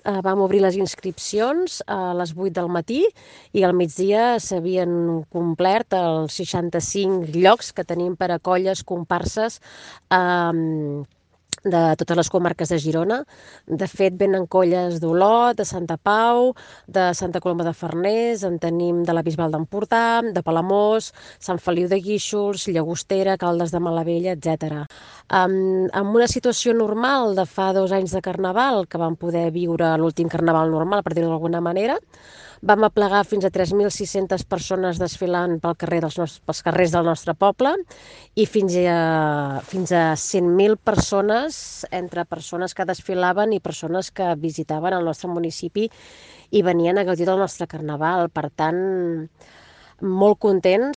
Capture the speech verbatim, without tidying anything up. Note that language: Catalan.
eh, vam obrir les inscripcions a les vuit del matí i al migdia s'havien complert els seixanta-cinc llocs que tenim per a colles, comparses, eh, de totes les comarques de Girona. De fet, venen colles d'Olot, de Santa Pau, de Santa Coloma de Farners, en tenim de la Bisbal d'Empordà, de Palamós, Sant Feliu de Guíxols, Llagostera, Caldes de Malavella, etcètera. Um, en una situació normal de fa dos anys de Carnaval, que vam poder viure l'últim Carnaval normal, per dir-ho d'alguna manera, vam aplegar fins a tres mil sis-centes persones desfilant pel carrer dels nostres, pels carrers del nostre poble i fins a, fins a cent mil persones, entre persones que desfilaven i persones que visitaven el nostre municipi i venien a gaudir del nostre Carnaval. Per tant, molt contents